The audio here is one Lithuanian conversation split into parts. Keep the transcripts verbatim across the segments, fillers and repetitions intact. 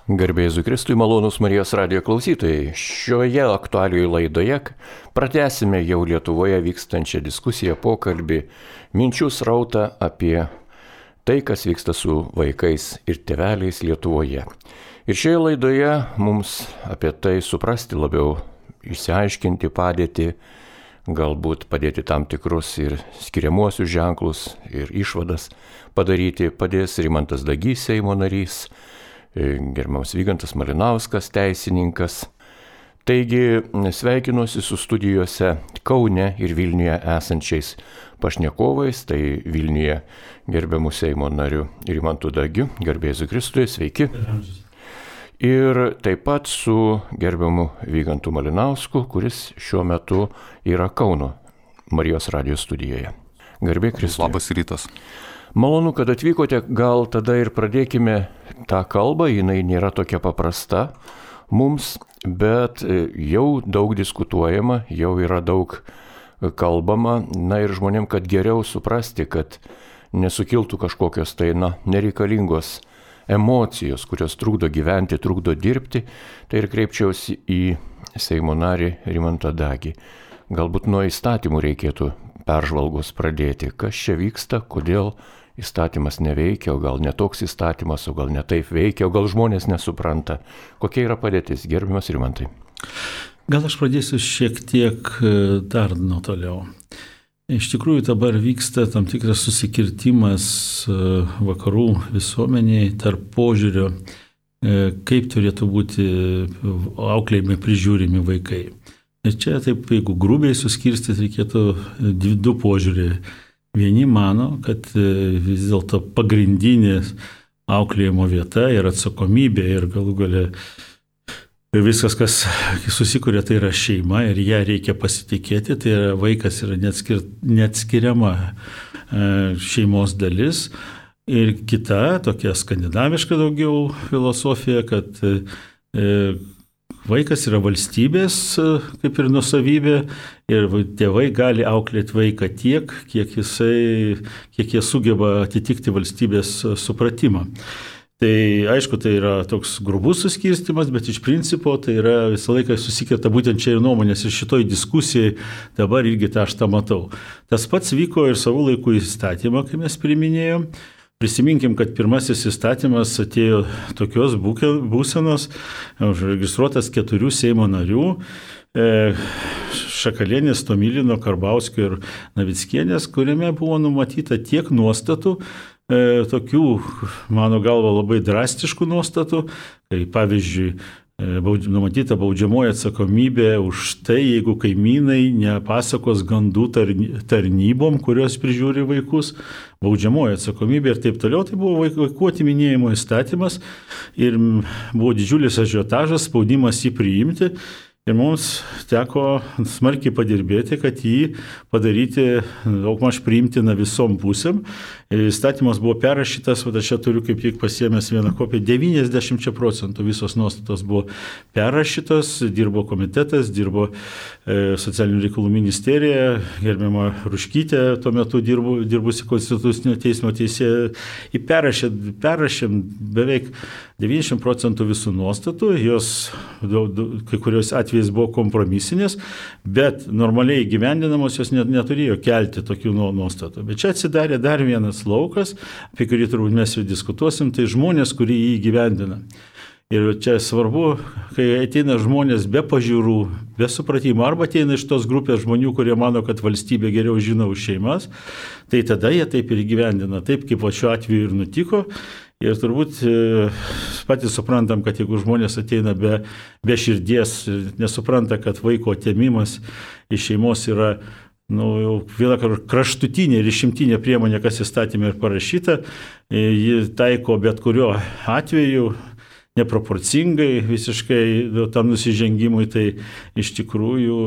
Garbė Jėzui Kristui, malonūs Marijos radijo klausytojai. Šioje aktualijoje laidoje pratęsime jau Lietuvoje vykstančią diskusiją, pokalbį, minčių srautą apie tai, kas vyksta su vaikais ir tėveliais Lietuvoje. Ir šioje laidoje mums apie tai suprasti labiau, išsiaiškinti padėtį, galbūt padėti tam tikrus ir skiriamuosius ženklus ir išvadas padaryti, padės Rimantas Dagys, Seimo narys, gerbiamas Vygantas Malinauskas, teisininkas. Taigi sveikinuosi su studijose Kaune ir Vilniuje esančiais pašnekovais, tai Vilniuje gerbiamų Seimo nariu Rimantu Dagiu, garbė Jėzui Kristui, sveiki. Ir taip pat su gerbiamu Vygantu Malinausku, kuris šiuo metu yra Kauno Marijos radijo studijoje. Garbė Kristui. Labas rytas. Malonu, kad atvykote, gal tada ir pradėkime tą kalbą, jinai nėra tokia paprasta mums, bet jau daug diskutuojama, jau yra daug kalbama, na ir žmonėm, kad geriau suprasti, kad nesukiltų kažkokios tai, na, nereikalingos emocijos, kurios trukdo gyventi, trukdo dirbti, tai ir kreipčiausi į Seimo narį Rimantą Dagį. Galbūt nuo įstatymų reikėtų peržvalgos pradėti, kas čia vyksta, kodėl įstatymas neveikia, o gal netoks įstatymas, o gal netaip veikia, o gal žmonės nesupranta. Kokia yra padėtis, gerbiamas Rimantai? Gal aš pradėsiu šiek tiek dar nuo toliau. Iš tikrųjų dabar vyksta tam tikras susikirtimas vakarų visuomenėje tarp požiūrio, kaip turėtų būti auklėjami, prižiūrimi vaikai. Ir čia taip, jeigu grubiai suskirstyti, reikėtų du požiūrį. Vieni mano, kad vis dėlto pagrindinė auklėjimo vieta ir atsakomybė ir galų gale viskas, kas susikūrė, tai yra šeima ir ją reikia pasitikėti, tai yra vaikas yra neatskir, neatskiriama šeimos dalis. Ir kita, tokia skandinaviška daugiau filosofija, kad vaikas yra valstybės kaip ir nuosavybė ir tėvai gali auklėti vaiką tiek, kiek, jisai, kiek jie sugeba atitikti valstybės supratimą. Tai aišku, tai yra toks grubus suskirstimas, bet iš principo tai yra visą laiką susikirta būtent čia ir nuomonės ir šitoj diskusijai dabar irgi tą aš tą matau. Tas pats vyko ir savo laikų įstatymą, kai mes priminėjom. Prisiminkim, kad pirmasis įstatymas atėjo tokios būsenos, užregistruotas keturių Seimo narių, Šakalienės, Tomilino, Karbauskio ir Navickienės, kuriame buvo numatyta tiek nuostatų, tokių, mano galva, labai drastiškų nuostatų, kai pavyzdžiui, numatyta baudžiamoji atsakomybė už tai, jeigu kaimynai nepasakos gandų tarnybom, kurios prižiūri vaikus, baudžiamoji atsakomybė ir taip toliau. Tai buvo vaikų atiminėjimo įstatymas ir buvo didžiulis ažiotažas, spaudimas jį priimti. Ir mums teko smarkiai padirbėti, kad jį padaryti daugmaž priimtiną visom pusėm. Įstatymas buvo perrašytas, o aš čia turiu kaip tik pasiėmęs vieną kopiją, devyniasdešimt procentų visos nuostatos buvo perrašytos, dirbo komitetas, dirbo e, socialinių reikalų ministerija, gerbiama Ruškytė, tuo metu dirbu, dirbusi Konstitucinio teismo teisėja, į perrašė, perrašėm beveik devyniasdešimt procentų visų nuostatų, jos kai kurios atvejais buvo kompromisinės, bet normaliai gyvendinamos jos net, neturėjo kelti tokių nuostatų. Bet čia atsidarė dar vienas laukas, apie kurį turbūt mes ir diskutuosim, tai žmonės, kurie jį gyvendina. Ir čia svarbu, kai ateina žmonės be pažiūrų, be supratimo, arba ateina iš tos grupės žmonių, kurie mano, kad valstybė geriau žino už šeimas, tai tada jie taip ir gyvendina, taip kaip šiuo atveju ir nutiko. Ir turbūt patys suprantam, kad jeigu žmonės ateina be, be širdies, nesupranta, kad vaiko atėmimas iš šeimos yra nu, jau viena kraštutinė ir išimtinė priemonė, kas įstatymė ir parašyta, ji taiko bet kuriuo atveju neproporcingai visiškai tam nusižengimui, tai iš tikrųjų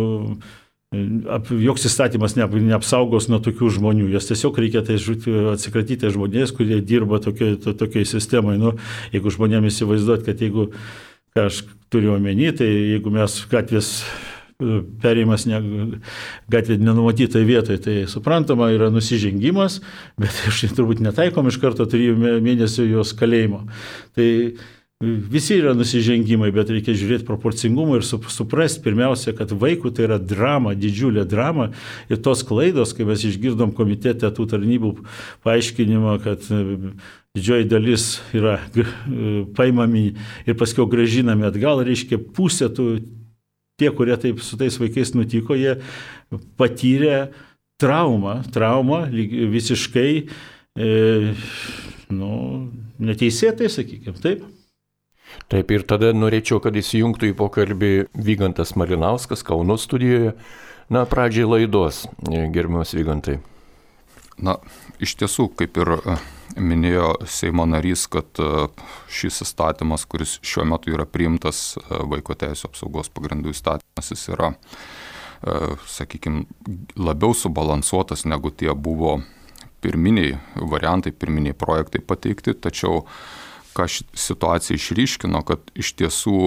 joks įstatymas neapsaugos nuo tokių žmonių. Jas tiesiog reikia tai atsikratyti žmonės, kurie dirba tokiai, to, tokiai sistemai. Nu, jeigu žmonėms įsivaizduot, kad jeigu, ką aš turiu omeny, tai jeigu mes gatvės perėjimas ne, gatvė nenumatytai vietoje, tai suprantama yra nusižengimas, bet aš turbūt netaikom iš karto trijų mėnesių jos kalėjimo. Tai visi yra nusižengimai, bet reikia žiūrėti proporcingumą ir suprasti pirmiausia, kad vaikų tai yra drama, didžiulė drama ir tos klaidos, kai mes išgirdom komitete tų tarnybų paaiškinimą, kad didžioji dalis yra paimami ir paskui gražinami atgal, reiškia pusė tų, tie, kurie taip su tais vaikais nutiko, jie patyrė traumą, traumą visiškai e, nu, neteisėtai, sakykime, taip. Taip, ir tada norėčiau, kad įsijungtų į pokalbį Vygantas Malinauskas Kauno studijoje. Na, pradžiai laidos, gerbiamas Vygantai. Na, iš tiesų, kaip ir minėjo Seimo narys, kad šis įstatymas, kuris šiuo metu yra priimtas, Vaiko teisių apsaugos pagrindų įstatymas, jis yra, sakykime, labiau subalansuotas negu tie buvo pirminiai variantai, pirminiai projektai pateikti, tačiau ką situacija išryškino, kad iš tiesų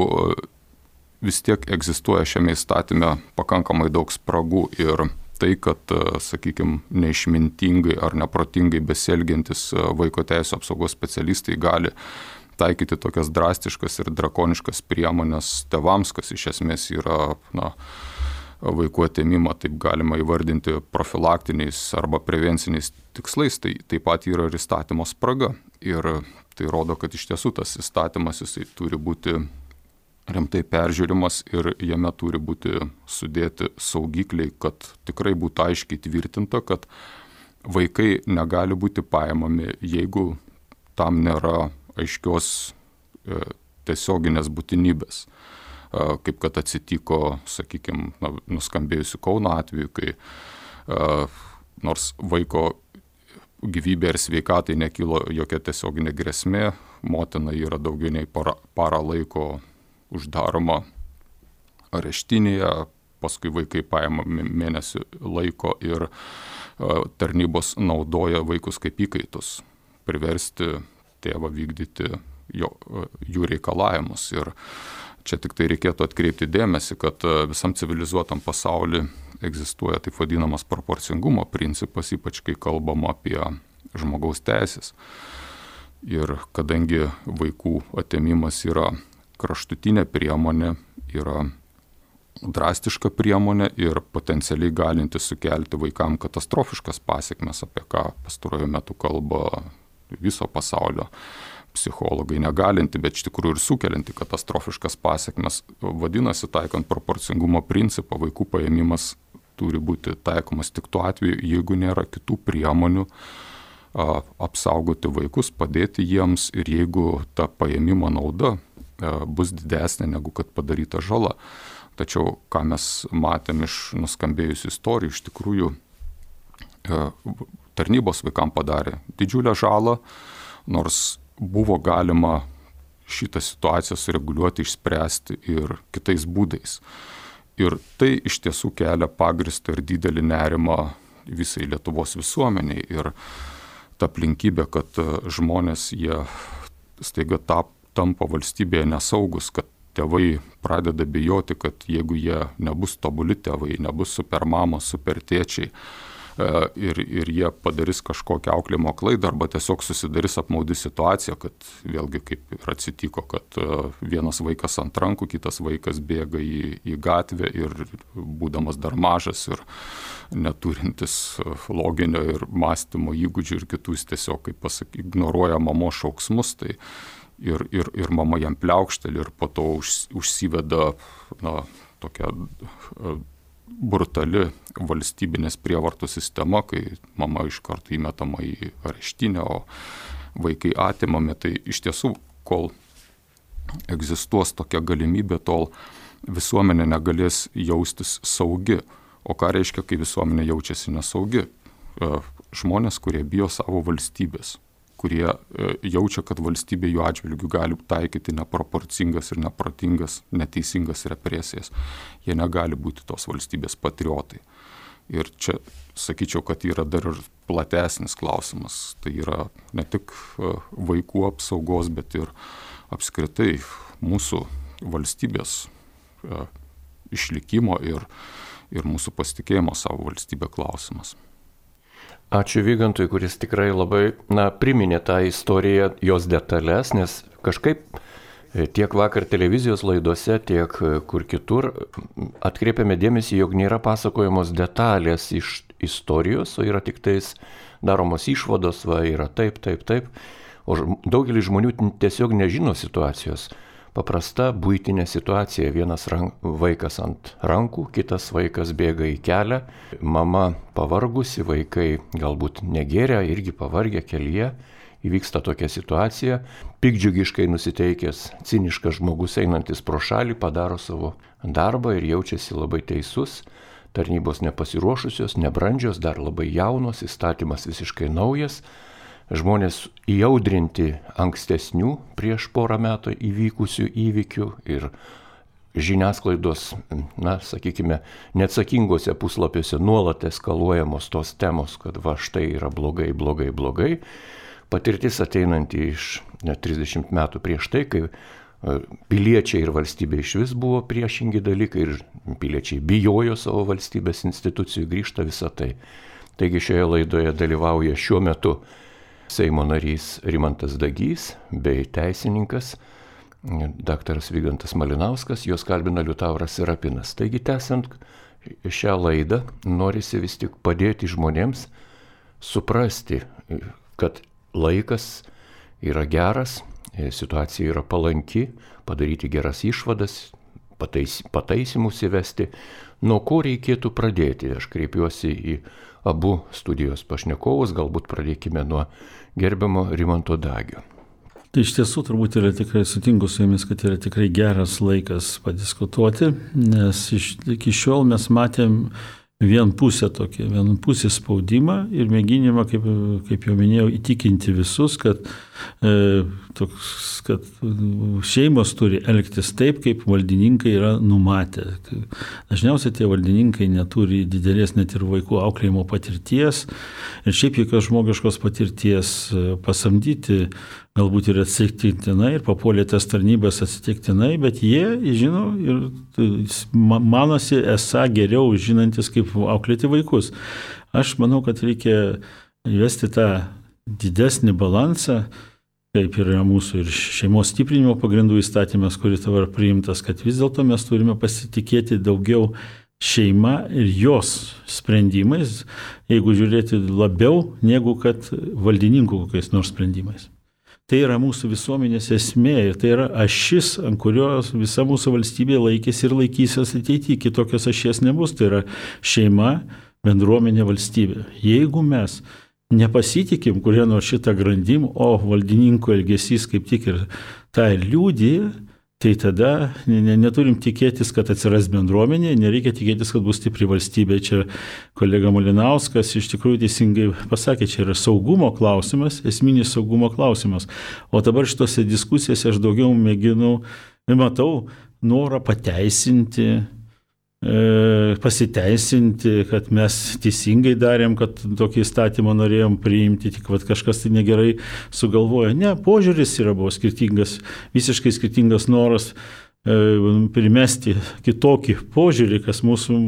vis tiek egzistuoja šiame įstatyme pakankamai daug spragų ir tai, kad, sakykime, neišmintingai ar neprotingai besielgiantis vaiko teisių apsaugos specialistai gali taikyti tokias drastiškas ir drakoniškas priemonės tėvams, kas iš esmės yra, na, vaikų atėmimą, taip galima įvardinti profilaktiniais arba prevenciniais tikslais, tai taip pat yra ir įstatymo spraga. Ir tai rodo, kad iš tiesų tas įstatymas jisai turi būti rimtai peržiūrimas ir jame turi būti sudėti saugikliai, kad tikrai būtų aiškiai tvirtinta, kad vaikai negali būti paimami, jeigu tam nėra aiškios e, tiesioginės būtinybės. Kaip kad atsitiko, sakykime, nuskambėjusiu Kauno atveju, kai uh, nors vaiko gyvybė ir sveikatai nekilo jokia tiesioginė grėsmė, motina yra daugiau nei para, para laiko uždaroma areštinėje, paskui vaikai paimami mėnesį laiko ir uh, tarnybos naudoja vaikus kaip įkaitus, priversti tėvą vykdyti jo, uh, jų reikalavimus. Ir čia tik tai reikėtų atkreipti dėmesį, kad visam civilizuotam pasaulyje egzistuoja taip vadinamas proporcingumo principas, ypač kai kalbama apie žmogaus teisės. Ir kadangi vaikų atėmimas yra kraštutinė priemonė, yra drastiška priemonė ir potencialiai galinti sukelti vaikam katastrofiškas pasekmes, apie ką pastaruoju metu kalba viso pasaulio psichologai, negalinti, bet iš tikrųjų ir sukelianti katastrofiškas pasekmes. Vadinasi, taikant proporcingumo principą, vaikų paėmimas turi būti taikomas tik tuo atveju, jeigu nėra kitų priemonių a, apsaugoti vaikus, padėti jiems ir jeigu ta paėmimo nauda a, bus didesnė negu kad padaryta žala. Tačiau, ką mes matėm iš nuskambėjusių istorijų, iš tikrųjų a, tarnybos vaikam padarė didžiulę žalą, nors buvo galima šitą situaciją sureguliuoti, išspręsti ir kitais būdais. Ir tai iš tiesų kelia pagristą ir didelį nerimą visai Lietuvos visuomeniai. Ir ta aplinkybė, kad žmonės jie staiga tap, tampa valstybėje nesaugus, kad tėvai pradeda bijoti, kad jeigu jie nebus tobuli tėvai, nebus supermamos, supertėčiai, Ir, ir jie padarys kažkokią auklėjimo klaidą arba tiesiog susidarys apmaudi situacija, kad vėlgi kaip ir atsitiko, kad vienas vaikas ant rankų, kitas vaikas bėga į, į gatvę ir būdamas dar mažas ir neturintis loginio ir mąstymo įgūdžių ir kitus tiesiog, kaip pasaky, ignoruoja mamos šauksmus, tai ir, ir, ir mama jam pliaukšteli ir po to už, užsiveda na, tokia brutali valstybinės prievartų sistema, kai mama iš karto įmetama į areštinę, o vaikai atimami. Tai iš tiesų, kol egzistuos tokia galimybė, tol visuomenė negalės jaustis saugi. O ką reiškia, kai visuomenė jaučiasi nesaugi? Žmonės, kurie bijo savo valstybės, kurie jaučia, kad valstybė jų atžvilgių gali taikyti neproporcingas ir neprotingas, neteisingas represijas. Jie negali būti tos valstybės patriotai. Ir čia sakyčiau, kad yra dar ir platesnis klausimas. Tai yra ne tik vaikų apsaugos, bet ir apskritai mūsų valstybės išlikimo ir, ir mūsų pasitikėjimo savo valstybę klausimas. Ačiū Vygantui, kuris tikrai labai na, priminė tą istoriją, jos detalės, nes kažkaip Tiek vakar televizijos laidose, tiek kur kitur atkreipiame dėmesį, jog nėra pasakojamos detalės iš istorijos, o yra tik tais daromos išvados, va, yra taip, taip, taip. O daugelis žmonių tiesiog nežino situacijos. Paprasta buitinė situacija. Vienas rank, vaikas ant rankų, kitas vaikas bėga į kelią, mama pavargusi, vaikai galbūt negeria, irgi pavargę kelyje. Įvyksta tokia situacija. Pikdžiugiškai nusiteikęs, ciniškas žmogus einantis pro šalį padaro savo darbą ir jaučiasi labai teisus. Tarnybos nepasiruošusios, nebrandžios, dar labai jaunos, įstatymas visiškai naujas. Žmonės įaudrinti ankstesnių prieš porą metų įvykusių įvykių ir žiniasklaidos, na, sakykime, neatsakingose puslapiuose nuolat eskaluojamos tos temos, kad va štai yra blogai, blogai, blogai. Patirtis ateinanti iš net trisdešimt metų prieš tai, kai piliečiai ir valstybė iš vis buvo priešingi dalykai ir piliečiai bijojo savo valstybės institucijų, grįžta visą tai. Taigi šioje laidoje dalyvauja šiuo metu Seimo narys Rimantas Dagys bei teisininkas daktaras Vygantas Malinauskas, juos kalbina Liutauras Serapinas. Taigi tęsiant šią laidą, norisi vis tik padėti žmonėms suprasti, kad laikas yra geras, situacija yra palanki, padaryti geras išvadas, patais, pataisymus įvesti. Nuo ko reikėtų pradėti? Aš kreipiuosi į abu studijos pašnekovus, galbūt pradėkime nuo gerbiamo Rimanto Dagio. Tai iš tiesų turbūt yra tikrai sutinku su jumis, kad yra tikrai geras laikas padiskutuoti, nes iš, iki šiol mes matėm vienpusę tokį, vienpusį spaudimą ir mėginimą, kaip, kaip jau minėjau, įtikinti visus, kad, e, toks, kad šeimos turi elgtis taip, kaip valdininkai yra numatę. Dažniausiai tie valdininkai neturi didelės net ir vaikų auklėjimo patirties ir šiaip jokios žmogiškos patirties pasamdyti galbūt ir atsitiktinai, ir papuolė tas tarnybas atsitiktinai, bet jie, žino, ir manosi esą geriau žinantis, kaip auklėti vaikus. Aš manau, kad reikia įvesti tą didesnį balansą, kaip yra mūsų ir šeimos stiprinimo pagrindų įstatymas, kuris dabar priimtas, kad vis dėlto mes turime pasitikėti daugiau šeima ir jos sprendimais, jeigu žiūrėti labiau, negu kad valdininkų kokiais nors sprendimais. Tai yra mūsų visuomenės esmė ir tai yra ašis, ant kurios visa mūsų valstybė laikėsi ir laikysis ateityje. Kitokios ašies nebus. Tai yra šeima, bendruomenė, valstybė. Jeigu mes nepasitikim kurie nors šitą grandim, o valdininkų elgesys kaip tik ir tą liudija, tai tada neturim tikėtis, kad atsiras bendruomenė, nereikia tikėtis, kad bus stipri valstybė. Čia kolega Malinauskas iš tikrųjų teisingai pasakė, čia yra saugumo klausimas, esminis saugumo klausimas. O dabar šitose diskusijose aš daugiau mėginu, matau norą pateisinti, pasiteisinti, kad mes teisingai darėm, kad tokį įstatymą norėjom priimti, tik vat kažkas tai negerai sugalvojo. Ne, požiūris yra buvo skirtingas, visiškai skirtingas noras e, primesti kitokį požiūrį, kas mūsų,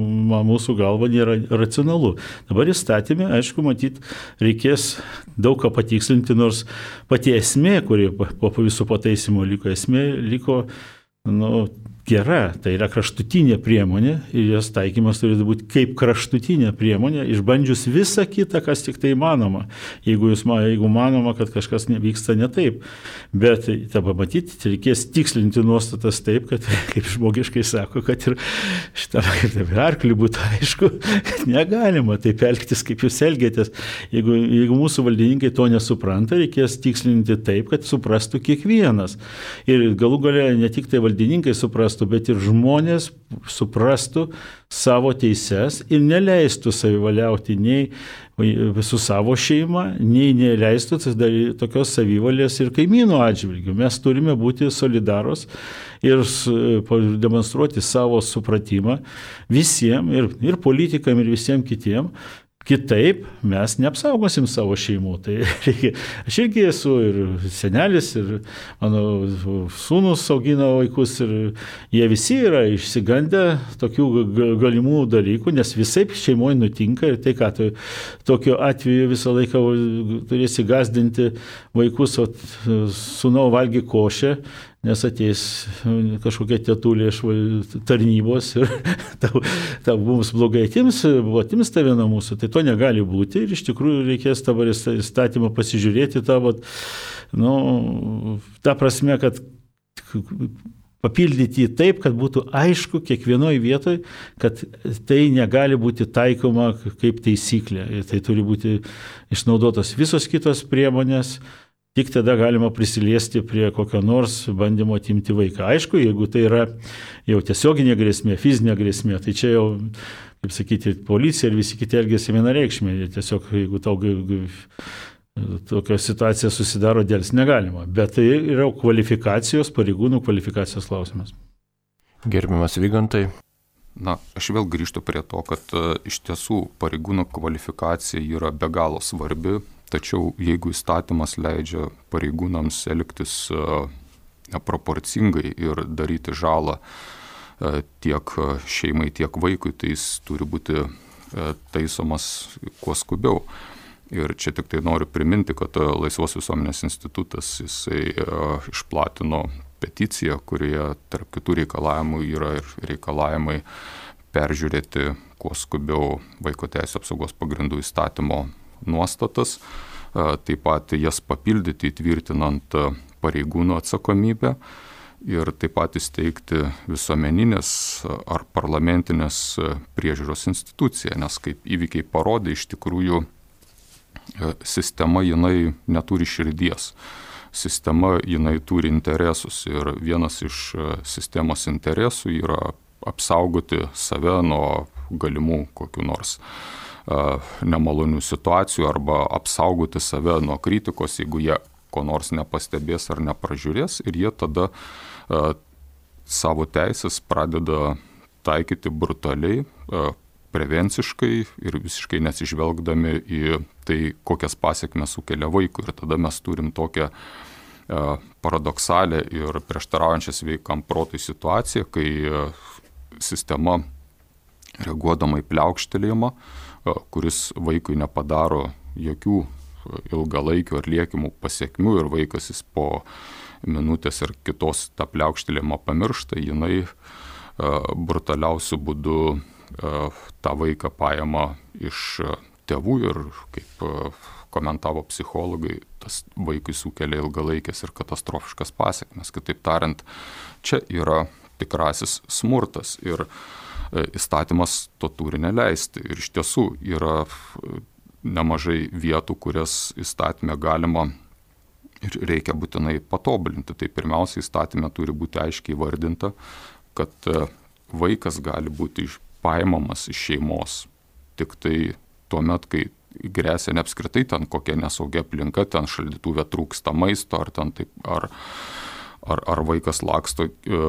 mūsų galva nėra racionalu. Dabar įstatymė, aišku, matyt, reikės daug ką patikslinti, nors pati esmė, kuri po visų pataisimų liko, esmė liko, nu, gera, tai yra kraštutinė priemonė ir jos taikymas turi būti kaip kraštutinė priemonė, išbandžius visą kitą, kas tik tai įmanoma, jeigu, jūs, jeigu manoma, kad kažkas vyksta ne taip. Bet tą pamatyti, reikės tikslinti nuostatas taip, kad, kaip žmogiškai sako, kad ir šitą arklį būtų aišku, kad negalima taip elgtis, kaip jūs elgėtės. Jeigu, jeigu mūsų valdininkai to nesupranta, reikės tikslinti taip, kad suprastų kiekvienas. Ir galų gale ne tik tai valdininkai suprastų, bet ir žmonės suprastų savo teises ir neleistų savivaliauti nei su savo šeima, nei neleistų tokios savivalės ir kaimynų atžvilgių. Mes turime būti solidarūs ir demonstruoti savo supratimą visiems, ir, ir politikam, ir visiems kitiems. Kitaip mes neapsaugosim savo šeimų. Tai reikia, aš irgi esu ir senelis, ir mano sūnus augina vaikus, ir jie visi yra išsigandę tokių galimų dalykų, nes visaip šeimoje nutinka ir tai, ką tu tokiu atveju visą laiką turėsi gazdinti vaikus, o sūnau valgy košę, nes ateis kažkokia tetulė iš tarnybos ir tau, tau mums blogai atims, atims tave nuo mūsų, tai to negali būti ir iš tikrųjų reikės dabar įstatymą pasižiūrėti tą, vat, nu, tą prasme, kad papildyti taip, kad būtų aišku kiekvienoje vietoje, kad tai negali būti taikoma kaip taisyklė. Ir tai turi būti išnaudotos visos kitos priemonės, tik tada galima prisiliesti prie kokio nors bandymo atimti vaiką. Aišku, jeigu tai yra jau tiesioginė grėsmė, fizinė grėsmė, tai čia jau, kaip sakyti, policija ir visi kiti elgiasi vienareikšmiai. Tiesiog, jeigu tau tokia situacija susidaro, dėls negalima. Bet tai yra kvalifikacijos, pareigūnų kvalifikacijos klausimas. Gerbiamas Vygantai. Na, aš vėl grįžtu prie to, kad uh, iš tiesų pareigūnų kvalifikacija yra be galo svarbi, tačiau jeigu įstatymas leidžia pareigūnams elgtis uh, neproporcingai ir daryti žalą uh, tiek šeimai, tiek vaikui, tai jis turi būti uh, taisomas kuo skubiau. Ir čia tik tai noriu priminti, kad uh, Laisvos visuomenės institutas jisai uh, išplatino peticiją, kurioje tarp kitų reikalavimų yra ir reikalavimai peržiūrėti kuo skubiau Vaiko teisių apsaugos pagrindų įstatymo nuostatas, taip pat jas papildyti įtvirtinant pareigūnų atsakomybę ir taip pat įsteigti visuomeninės ar parlamentinės priežiūros instituciją, nes kaip įvykiai parodė, iš tikrųjų sistema jinai neturi širdies. Sistema jinai turi interesus ir vienas iš sistemos interesų yra apsaugoti save nuo galimų kokių nors uh, nemalonių situacijų arba apsaugoti save nuo kritikos, jeigu jie ko nors nepastebės ar nepražiūrės ir jie tada uh, savo teisės pradeda taikyti brutaliai, uh, prevenciškai ir visiškai nesižvelgdami į tai, kokias pasiekmes sukelia vaikui. Ir tada mes turim tokią e, paradoksalę ir prieštaraujančią sveikam protui situaciją, kai e, sistema reaguodama į pliaukštelėjimą, e, kuris vaikui nepadaro jokių ilgalaikių ar liekimų pasiekmių ir vaikas jis po minutės ir kitos tą pliaukštelėjimą pamiršta, jinai e, brutaliausiu būdu tą vaiką paima iš tėvų ir, kaip komentavo psichologai, tas vaikui sukelia ilgalaikės ir katastrofiškas pasiekmes. Kitaip tariant, čia yra tikrasis smurtas ir įstatymas to turi neleisti. Ir iš tiesų yra nemažai vietų, kurias įstatymę galima ir reikia būtinai patobulinti. Tai pirmiausia, įstatymė turi būti aiškiai įvardinta, kad vaikas gali būti iš paimamas iš šeimos tik tai tuo met, kai grėsia ne apskritai ten kokia nesaugia aplinka, ten šaldytuve trūksta maisto, ar, ten taip, ar, ar, ar vaikas laksto, e,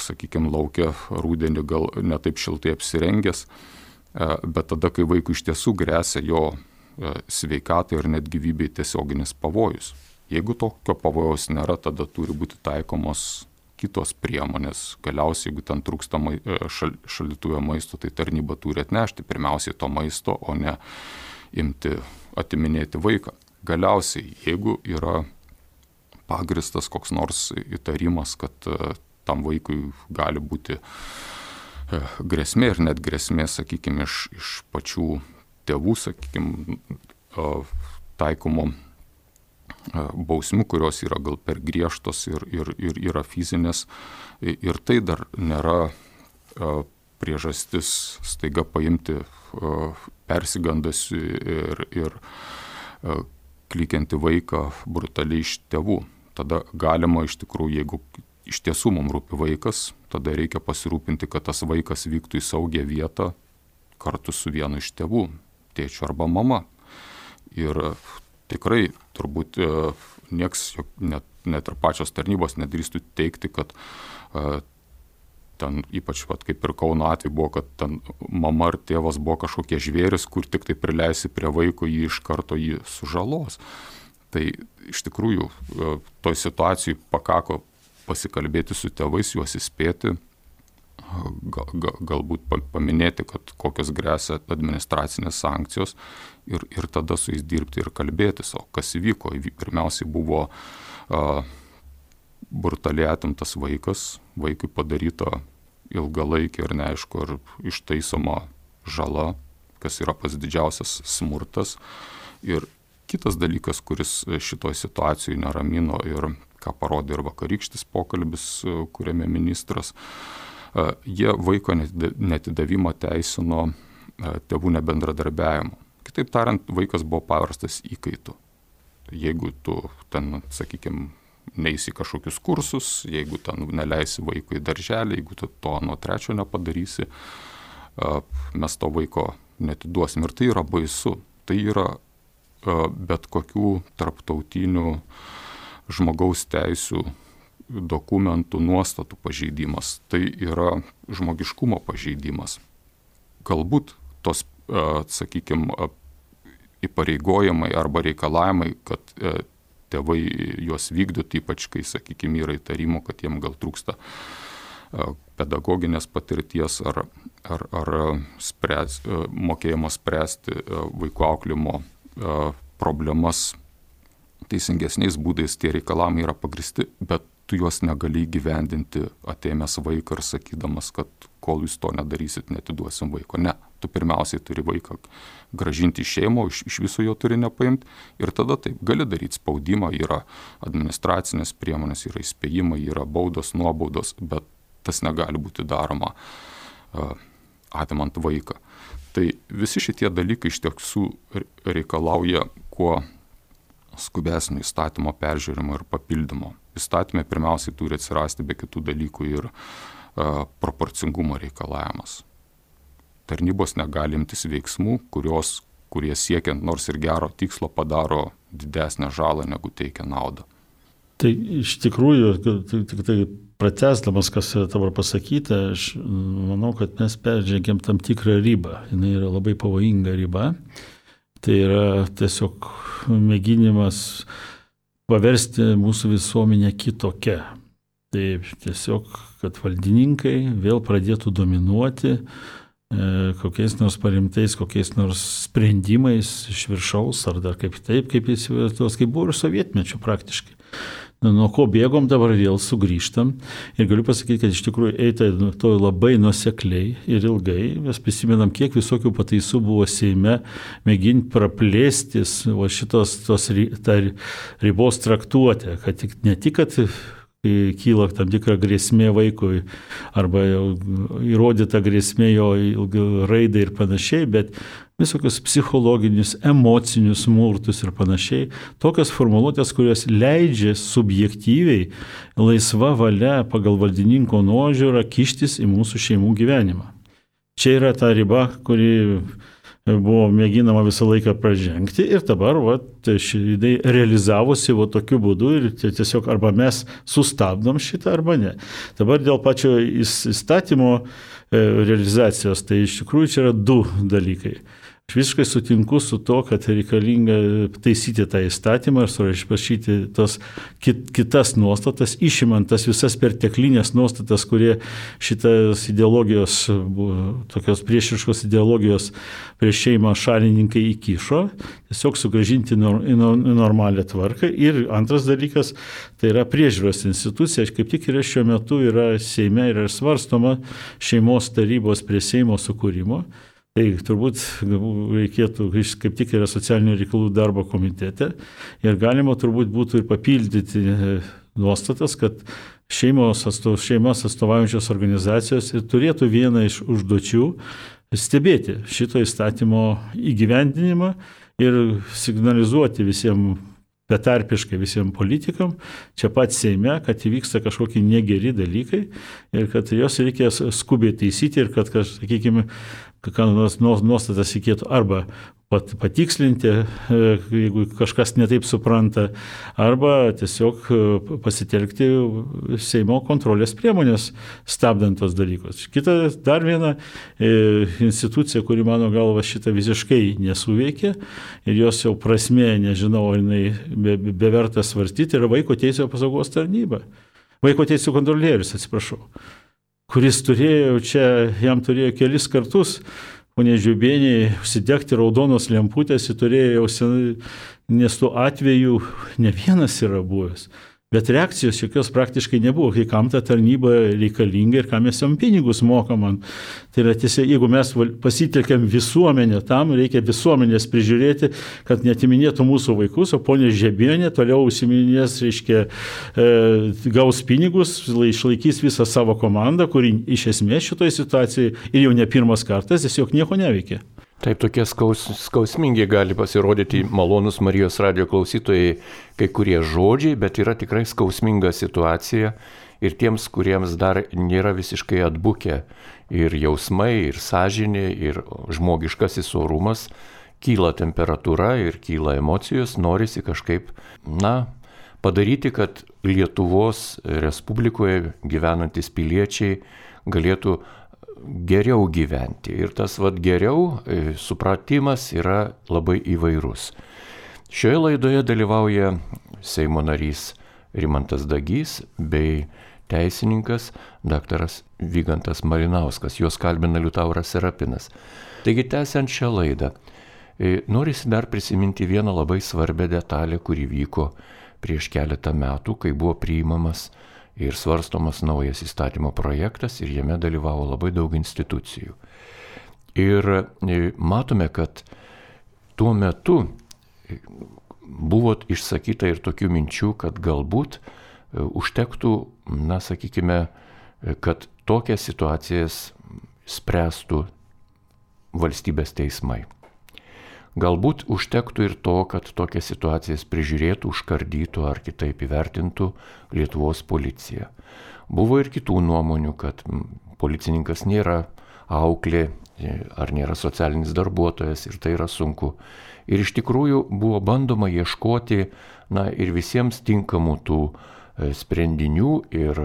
sakykime, laukia rudenį gal netaip šiltai apsirengęs, e, bet tada, kai vaikui iš tiesų grėsia jo e, sveikatai ir net gyvybei tiesioginis pavojus. Jeigu tokio pavojaus nėra, tada turi būti taikomos kitos priemonės. Galiausiai, jeigu ten trūksta šal, šaldytuve maisto, tai tarnyba turi atnešti pirmiausiai to maisto, o ne imti atiminėti vaiką. Galiausiai, jeigu yra pagristas koks nors įtarimas, kad tam vaikui gali būti grėsmė ir net grėsmė, sakykime, iš, iš pačių tėvų, sakykime, taikomų bausmių, kurios yra gal per griežtos ir, ir, ir yra fizinės. Ir tai dar nėra priežastis staiga paimti persigandasi ir, ir klykiantį vaiką brutaliai iš tėvų. Tada galima iš tikrųjų, jeigu iš tiesų mums rūpi vaikas, tada reikia pasirūpinti, kad tas vaikas vyktų į saugią vietą kartu su vienu iš tėvų, tėčiu arba mama. Ir tikrai turbūt nieks, net, net ir pačios tarnybos nedrįstų teikti, kad uh, ten ypač, vat, kaip ir Kauno atveju buvo, kad ten mama ar tėvas buvo kažkokie žvėris, kur tik tai prileisi prie vaiko, jį iš karto jį sužalos. Tai iš tikrųjų uh, toj situacijai pakako pasikalbėti su tėvais, juos įspėti, gal, gal, galbūt paminėti, kad kokios gresia administracinės sankcijos ir, ir tada su jais dirbti ir kalbėtis. O kas įvyko? Pirmiausiai buvo uh, brutaliai atimtas vaikas, vaikui padaryta ilgalaikė ir neaišku, ar ištaisoma žala, kas yra pats didžiausias smurtas. Ir kitas dalykas, kuris šitoj situacijoje neramino ir ką parodė ir vakarykštis pokalbis, kuriame ministras, jie vaiko netidavimą teisino tėvų nebendradarbiavimu. Kitaip tariant, vaikas buvo paverstas įkaitu. Jeigu tu ten, sakykime, neisi kažkokius kursus, jeigu ten neleisi vaikui į darželį, jeigu tu to nuo trečio nepadarysi, mes to vaiko netiduosim. Ir tai yra baisu. Tai yra bet kokių tarptautinių žmogaus teisių dokumentų nuostatų pažeidimas. Tai yra žmogiškumo pažeidimas. Galbūt tos, sakykime, įpareigojimai arba reikalavimai, kad tėvai juos vykdytų, ypač kai, sakykime, yra įtarimų, kad jiem gal trūksta pedagoginės patirties ar, ar, ar spręs, mokėjimo spręsti vaikų auklimo problemas teisingesniais būdais, tie reikalavimai yra pagristi, bet tu juos negali įgyvendinti atėmęs vaiką ir sakydamas, kad kol jūs to nedarysit, netiduosim vaiko. Ne, tu pirmiausiai turi vaiką grąžinti į šeimą, iš, iš viso jo turi nepaimti ir tada taip, gali daryti spaudimą, yra administracinės priemonės, yra įspėjimai, yra baudos, nuobaudos, bet tas negali būti daroma uh, atimant vaiką. Tai visi šitie dalykai iš tiesų reikalauja kuo skubesnio įstatymo peržiūrimo ir papildymo. Įstatymė pirmiausiai turi atsirasti be kitų dalykų ir uh, proporcingumo reikalavimas. Tarnybos negali imtis veiksmų, kurios, kurie siekiant nors ir gero tikslo padaro didesnę žalą negu teikia naudą. Tai iš tikrųjų, tik tai pratęsdamas, kas dabar pasakyta, aš manau, kad mes peržengėm tam tikrą ribą. Jis yra labai pavojinga riba. Tai yra tiesiog mėginimas paversti mūsų visuomenę kitokią. Tai tiesiog, kad valdininkai vėl pradėtų dominuoti kokiais nors parimtais, kokiais nors sprendimais iš viršaus, ar dar kaip taip, kaip jis tos, kaip buvo ir sovietmečių praktiškai. Nuo ko bėgom, dabar vėl sugrįžtam. Ir galiu pasakyti, kad iš tikrųjų eita to labai nuosekliai ir ilgai. Mes prisimenam, kiek visokių pataisų buvo Seime mėginti praplėstis o šitos tos, tą ribos traktuotę, kad tik, ne tik, kad kyla tam tikra grėsmė vaikui arba įrodyta grėsmė jo raidai ir panašiai, bet visokius psichologinius, emocinius smurtus ir panašiai. Tokios formuluotės, kurios leidžia subjektyviai, laisva valia pagal valdininko nuožiūrą kištis į mūsų šeimų gyvenimą. Čia yra ta riba, kuri buvo mėginama visą laiką pražengti ir dabar va, šidai realizavosi va, tokiu būdu ir tiesiog arba mes sustabdom šitą arba ne. Dabar dėl pačio įstatymo realizacijos, tai iš tikrųjų čia yra du dalykai. Aš visiškai sutinku su to, kad reikalinga taisyti tą įstatymą ir surašyti tos kit, kitas nuostatas, išimant tas visas perteklinės nuostatas, kurie šitas ideologijos, tokios priešiškos ideologijos prieš šeimą šalininkai įkišo, tiesiog sugrąžinti į normalią tvarką. Ir antras dalykas, tai yra priežiūros institucija, kaip tik yra šiuo metu yra Seime ir svarstoma šeimos tarybos prie Seimo sukūrimo. Tai turbūt reikėtų, kaip tik yra socialinių reikalų darbo komitete ir galima turbūt būtų ir papildyti nuostatas, kad šeimos, atstov, šeimas atstovaujančios organizacijos ir turėtų vieną iš užduočių stebėti šito įstatymo įgyvendinimą ir signalizuoti visiems betarpiškai visiems politikam, čia pat Seime, kad įvyksta kažkokie negeri dalykai ir kad jos reikia skubiai taisyti ir kad, sakykime, kokias nuostatas reikėtų arba patikslinti, jeigu kažkas netaip supranta, arba tiesiog pasitelkti Seimo kontrolės priemonės, stabdant tos dalykus. Kita dar viena institucija, kuri mano galva šitą visiškai nesuveikia ir jos jau prasmė, nežinau, ar jinai be, beverta svarstyti, yra Vaiko teisių apsaugos tarnyba. Vaiko teisių kontrolierius, atsiprašau, kuris turėjo čia, jam turėjo kelis kartus ponė Žiubienė užsidegti raudonos lemputės, jis turėjo jau senai, nes tų atvejų ne vienas yra buvęs. bet reakcijos jokios praktiškai nebuvo, kai kam ta tarnyba reikalinga ir kam mes jam pinigus mokam. Tai yra tiesiog, jeigu mes pasitelkiam visuomenę, tam reikia visuomenės prižiūrėti, kad netiminėtų mūsų vaikus, o ponė Žebienė toliau užsiminės, reiškia, e, gaus pinigus, išlaikys visą savo komandą, kuri iš esmės šitoje situacijoje ir jau ne pirmas kartas tiesiog nieko neveikia. Taip, tokie skaus, skausmingi gali pasirodyti malonus Marijos radijo klausytojai kai kurie žodžiai, bet yra tikrai skausminga situacija ir tiems, kuriems dar nėra visiškai atbukę ir jausmai, ir sąžinė, ir žmogiškasis orumas, kyla temperatūra ir kyla emocijos, norisi kažkaip, na, padaryti, kad Lietuvos Respublikoje gyvenantis piliečiai galėtų geriau gyventi. Ir tas vat geriau supratimas yra labai įvairus. Šioje laidoje dalyvauja Seimo narys Rimantas Dagys bei teisininkas daktaras Vygantas Malinauskas. Juos kalbina Liutauras Serapinas. Taigi, tęsiant šią laidą, norisi dar prisiminti vieną labai svarbią detalę, kuri vyko prieš keletą metų, kai buvo priimamas ir svarstomas naujas įstatymo projektas ir jame dalyvavo labai daug institucijų. Ir matome, kad tuo metu buvo išsakyta ir tokių minčių, kad galbūt užtektų, na, sakykime, kad tokias situacijas spręstų valstybės teismai. Galbūt užtektų ir to, kad tokias situacijas prižiūrėtų, užkardytų ar kitaip įvertintų Lietuvos policija. Buvo ir kitų nuomonių, kad policininkas nėra auklė ar nėra socialinis darbuotojas ir tai yra sunku. Ir iš tikrųjų buvo bandoma ieškoti, na, ir visiems tinkamų tų sprendinių ir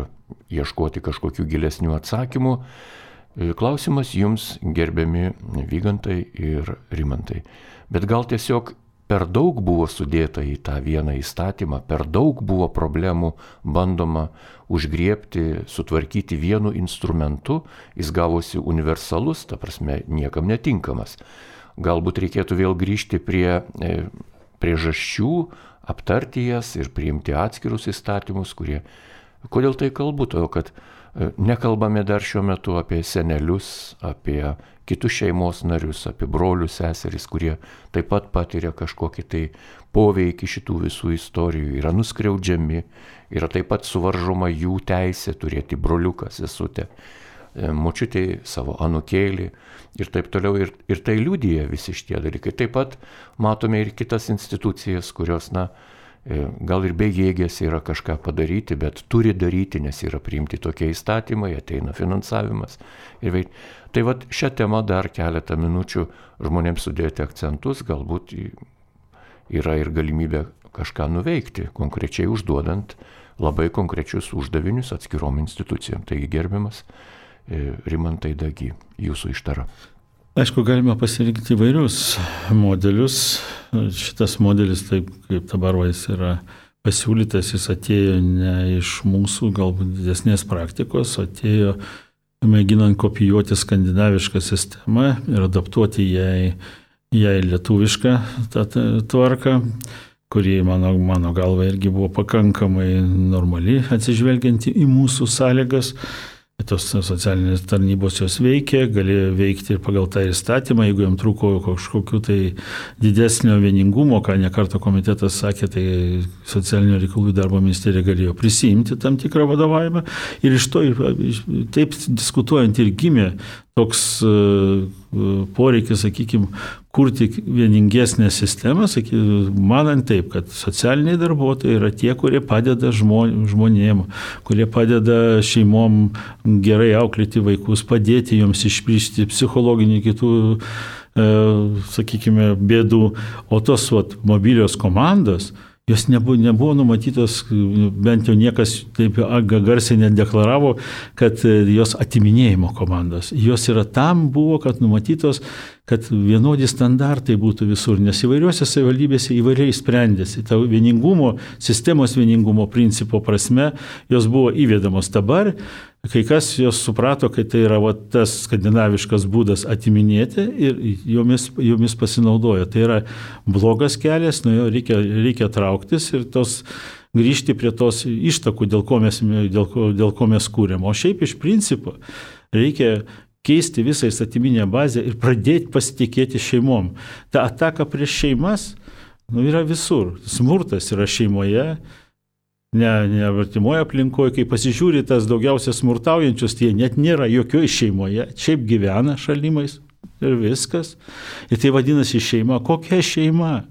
ieškoti kažkokių gilesnių atsakymų. Klausimas jums, gerbiami Vygantai ir Rimantai. Bet gal tiesiog per daug buvo sudėta į tą vieną įstatymą, per daug buvo problemų bandoma užgriebti, sutvarkyti vienu instrumentu, jis gavosi universalus, ta prasme niekam netinkamas. Galbūt reikėtų vėl grįžti prie priežasčių, aptarti jas ir priimti atskirus įstatymus, kurie... Kodėl tai kalbu? Todėl, kad nekalbame dar šiuo metu apie senelius, apie kitus šeimos narius, apie brolius, seseris, kurie taip pat patiria kažkokį tai poveikį šitų visų istorijų, yra nuskriaudžiami, yra taip pat suvaržoma jų teisė turėti broliuką, sesutę, močiutei savo anūkėlį ir taip toliau. Ir, ir tai liudija visi šitie dalykai. Taip pat matome ir kitas institucijas, kurios, na, gal ir bejėgės yra kažką padaryti, bet turi daryti, nes yra priimti tokie įstatymai, ateina finansavimas. Ir veik... Tai vat šią temą dar keletą minučių žmonėms sudėti akcentus, galbūt yra ir galimybė kažką nuveikti, konkrečiai užduodant labai konkrečius uždavinius atskirom institucijom. Taigi, gerbiamas Rimantai Dagy, jūsų ištara. Aišku, galime pasirinkti įvairius modelius. Šitas modelis, taip kaip dabar jis yra pasiūlytas, jis atėjo ne iš mūsų galbūt didesnės praktikos, atėjo mėginant kopijuoti skandinavišką sistemą ir adaptuoti jai, jai lietuvišką tą tvarką, kuri mano, mano galva irgi buvo pakankamai normali, atsižvelgianti į mūsų sąlygas. Tos socialinės tarnybos jos veikia, galėjo veikti ir pagal tą įstatymą, jeigu jam trūko kažkokiu tai didesnio vieningumo, ką nekarto komitetas sakė, tai socialinio reikalų darbo ministerija galėjo prisiimti tam tikrą vadovavimą. Ir iš to, taip diskutuojant, ir gimė toks poreikis, sakykime, kurti vieningesnę sistemą, sakykime, manant taip, kad socialiniai darbuotojai yra tie, kurie padeda žmonėm, kurie padeda šeimom gerai auklėti vaikus, padėti joms išprišti psichologinių kitų, sakykime, bėdų. O tos vat, mobilios komandos, jos nebuvo, nebuvo numatytos, bent jau niekas taip garsiai nedeklaravo, kad jos atiminėjimo komandos. Jos yra tam buvo, kad numatytos, kad vienodi standartai būtų visur, nes įvairiuose savivaldybėse įvairiai sprendėsi. Ta vieningumo, sistemos vieningumo principo prasme jos buvo įvedamos. Dabar kai kas jos suprato, kad tai yra va, tas skandinaviškas būdas atiminėti ir jomis, jomis pasinaudojo. Tai yra blogas kelias, nuo jo reikia, reikia trauktis ir tos grįžti prie tos ištakų, dėl ko mes, dėl ko, dėl ko mes kūrėm. O šiaip iš principo reikia keisti visą įstatyminę bazę ir pradėti pasitikėti šeimom. Ta ataka prieš šeimas nu, yra visur. Smurtas yra šeimoje, ne, ne artimoje aplinkoje. Kai pasižiūri tas daugiausia smurtaujančius, tie net nėra jokioje šeimoje, šiaip gyvena šalimais ir viskas. Ir tai vadinasi šeima. Kokia šeima?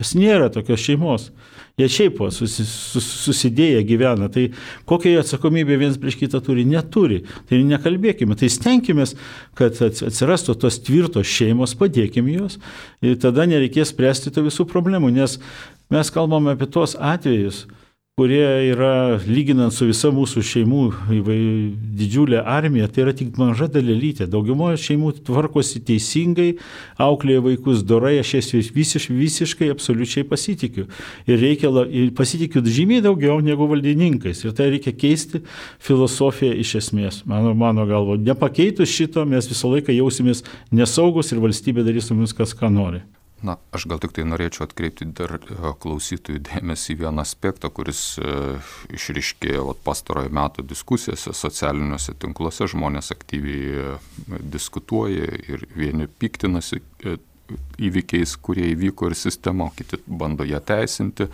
Jas nėra tokios šeimos. Jie šiaip susi, sus, susidėję gyvena. Tai kokią atsakomybę viens prieš kitą turi? Neturi. Tai nekalbėkime. Tai stenkime, kad atsirastų tos tvirtos šeimos, padėkime jos. Ir tada nereikės spręsti tų visų problemų. Nes mes kalbame apie tos atvejus, kurie yra, lyginant su visa mūsų šeimų didžiulė armija, tai yra tik maža dalelytė. Daugumoje šeimų tvarkosi teisingai, auklėja vaikus dorai, aš jas visiš, visiškai, absoliučiai pasitikiu. Ir reikia, ir pasitikiu žymiai daugiau negu valdininkais. Ir tai reikia keisti filosofiją iš esmės. Mano, mano galvo, nepakeitus šito, mes visą laiką jausimės nesaugus ir valstybė darys mums kas ką nori. Na, aš gal tik tai norėčiau atkreipti dar klausytojų dėmesį į vieną aspektą, kuris e, išryškėjo vat, pastarojo metų diskusijose, socialiniuose tinkluose, žmonės aktyviai diskutuoja ir vieni piktinasi e, įvykiais, kurie įvyko ir sistema, kiti bando ją teisinti.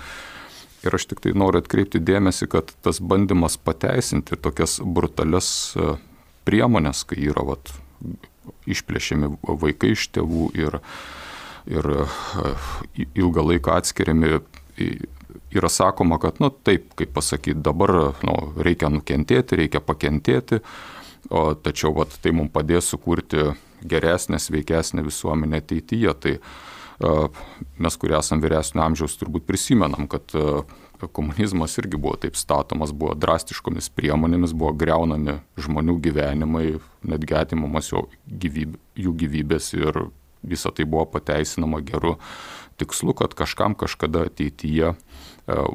Ir aš tik tai noriu atkreipti dėmesį, kad tas bandymas pateisinti tokias brutalias e, priemonės, kai yra vat, išplėšiami vaikai iš tėvų ir ir ilgą laiką atskiriami, yra sakoma, kad, nu, taip, kaip pasakyti, dabar nu, reikia nukentėti, reikia pakentėti, o tačiau vat, tai mums padės sukurti geresnę, sveikesnę visuomenę ateityje. Tai uh, mes, kurie esame vyresnio amžiaus, turbūt prisimenam, kad uh, komunizmas irgi buvo taip statomas, buvo drastiškomis priemonėmis, buvo greunami žmonių gyvenimai, netgi atimamas jų gyvybė, jų gyvybės ir visą tai buvo pateisinama geru tikslu, kad kažkam kažkada ateityje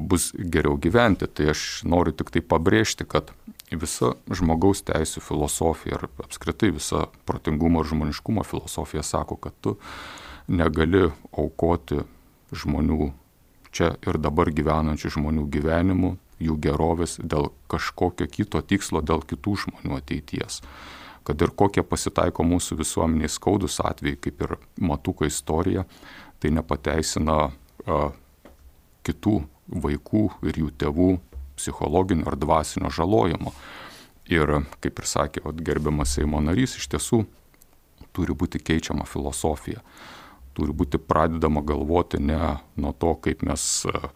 bus geriau gyventi. Tai aš noriu tik tai pabrėžti, kad visa žmogaus teisų filosofija ir apskritai visa protingumo ir žmoniškumo filosofija sako, kad tu negali aukoti žmonių, čia ir dabar gyvenančių žmonių gyvenimų, jų gerovės dėl kažkokio kito tikslo, dėl kitų žmonių ateities. Kad ir kokie pasitaiko mūsų visuomeniai skaudus atvejai, kaip ir Matuko istorija, tai nepateisina a, kitų vaikų ir jų tėvų psichologinio ar dvasinio žalojimo. Ir, kaip ir sakė vat, gerbiamas Seimo narys, iš tiesų turi būti keičiama filosofija. Turi būti pradedama galvoti ne nuo to, kaip mes a,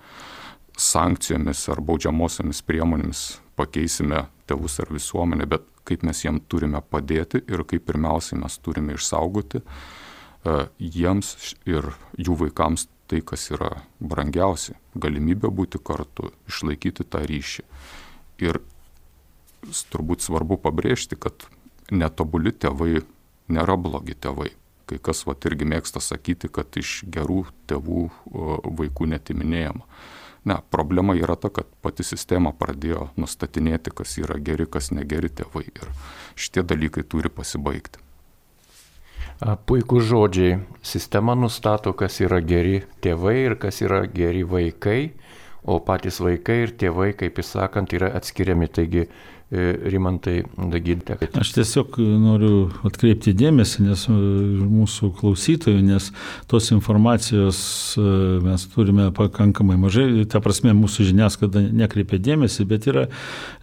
sankcijomis ar baudžiamosiomis priemonėmis pakeisime tėvus ar visuomenę, bet kaip mes jiems turime padėti ir kaip pirmiausiai mes turime išsaugoti uh, jiems ir jų vaikams tai, kas yra brangiausia - galimybė būti kartu, išlaikyti tą ryšį. Ir turbūt svarbu pabrėžti, kad netobuli tėvai nėra blogi tėvai. Kai kas vat irgi mėgsta sakyti, kad iš gerų tėvų uh, vaikų netiminėjama. Ne, problema yra ta, kad pati sistema pradėjo nustatinėti, kas yra geri, kas negeri tėvai. Ir šitie dalykai turi pasibaigti. Puikūs žodžiai. Sistema nustato, kas yra geri tėvai ir kas yra geri vaikai, o patys vaikai ir tėvai, kaip įsakant, yra atskiriami. Taigi, Rimantai Dagiltė. Aš tiesiog noriu atkreipti dėmesį, nes mūsų klausytojų, nes tos informacijos mes turime pakankamai mažai, ta prasme mūsų žiniasklaida nekreipia dėmesį, bet yra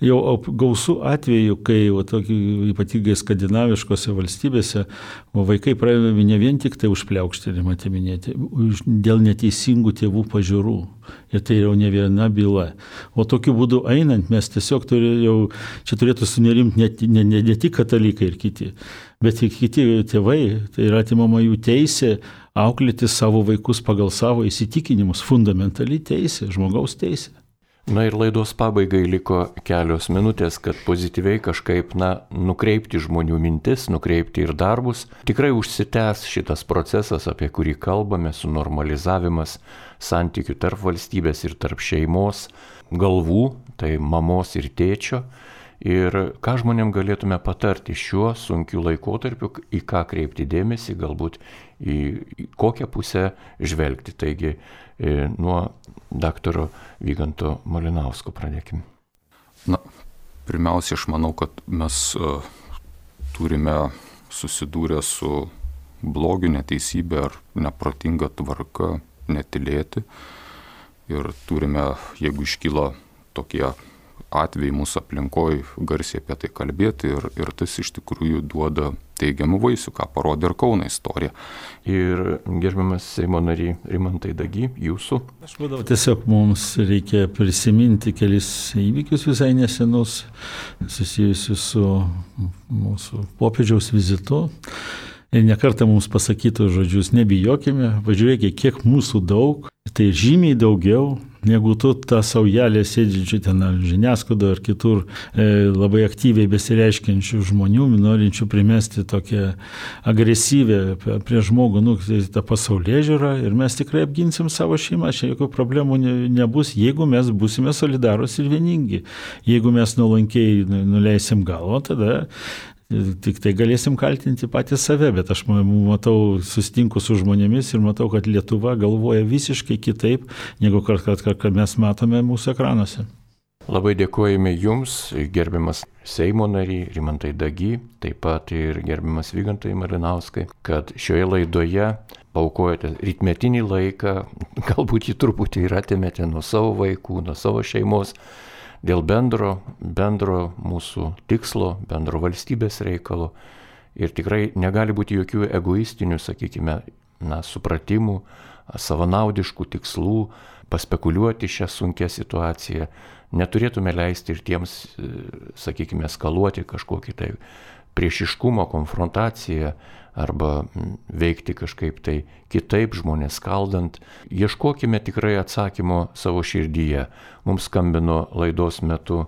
jau gausų atvejų, kai o, tokį, ypatingai skandinaviškose valstybėse vaikai pradedami ne vien tik tai užpliaukštinimą atiminėti, dėl neteisingų tėvų pažiūrų. Ir tai jau ne viena byla. O tokiu būdu einant mes tiesiog turėjau jau čia turėtų sunerimti ne, ne, ne, ne tik katalikai ir kiti, bet ir kiti tėvai. Tai yra atimama jų teisė auklėti savo vaikus pagal savo įsitikinimus. Fundamentali teisė, žmogaus teisė. Na ir laidos pabaigai liko kelios minutės, kad pozityviai kažkaip na, nukreipti žmonių mintis, nukreipti ir darbus. Tikrai užsitęs šitas procesas, apie kurį kalbame, sunormalizavimas santykių tarp valstybės ir tarp šeimos galvų, tai mamos ir tėčio. ir ką žmonėm galėtume patarti šiuo sunkiu laikotarpiu, į ką kreipti dėmesį, galbūt į, į kokią pusę žvelgti. Taigi nuo daktaro Vyganto Malinausko pradėkime. Na, pirmiausia, aš manau, kad mes uh, turime susidūrę su blogiu, neteisybė ar neprotinga tvarka netylėti. Ir turime, jeigu iškyla tokie atvejai mūsų aplinkoje, garsiai apie tai kalbėti ir, ir tas iš tikrųjų duoda teigiamų vaisių, ką parodė ir Kauno istorija. Ir gerbiamas Seimo nary Rimantai Dagy, jūsų. Aš manau, tiesiog mums reikia prisiminti kelis įvykius visai nesenus, susijusius su mūsų popiežiaus vizitu. Ir nekartą mums pasakytų žodžius, nebijokime, važiuokime, kiek mūsų daug, tai žymiai daugiau, negu tu tą saujelę sėdžiančių ten žiniasklaidoje ar kitur e, labai aktyviai besireiškiančių žmonių, norinčių primesti tokią agresyvę prie žmogų, nu, tą pasaulėžiūrą, ir mes tikrai apginsim savo šeimą, čia jokių problemų ne, nebus, jeigu mes būsime solidarūs ir vieningi. Jeigu mes nuolankiai nuleisim galvą, tada tik tai galėsim kaltinti patys save, bet aš matau, susitinku su žmonėmis ir matau, kad Lietuva galvoja visiškai kitaip, negu kad, kad, kad mes matome mūsų ekranuose. Labai dėkojame Jums, gerbiamas Seimo nary Rimantai Dagy, taip pat ir gerbiamas Vygantai Malinauskai, kad šioje laidoje paukojate rytmetinį laiką, galbūt jį truputį ir atėmėte nuo savo vaikų, nuo savo šeimos, dėl bendro, bendro mūsų tikslo, bendro valstybės reikalo. Ir tikrai negali būti jokių egoistinių, sakykime, na, supratimų, savanaudiškų tikslų, paspekuliuoti šią sunkią situaciją. Neturėtume leisti ir tiems, sakykime, eskaluoti kažkokį tai priešiškumo, konfrontaciją arba veikti kažkaip tai kitaip, žmonės skaldant. Ieškokime tikrai atsakymo savo širdyje. Mums skambino laidos metu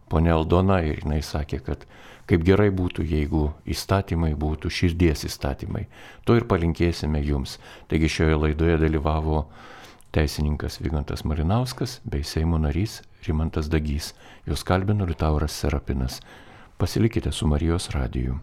ponia Aldona ir jinai sakė, kad kaip gerai būtų, jeigu įstatymai būtų širdies įstatymai. To ir palinkėsime Jums. Taigi šioje laidoje dalyvavo teisininkas Vygantas Malinauskas bei Seimo narys Rimantas Dagys. Juos kalbino Liutauras Serapinas. Pasilikite su Marijos radiju.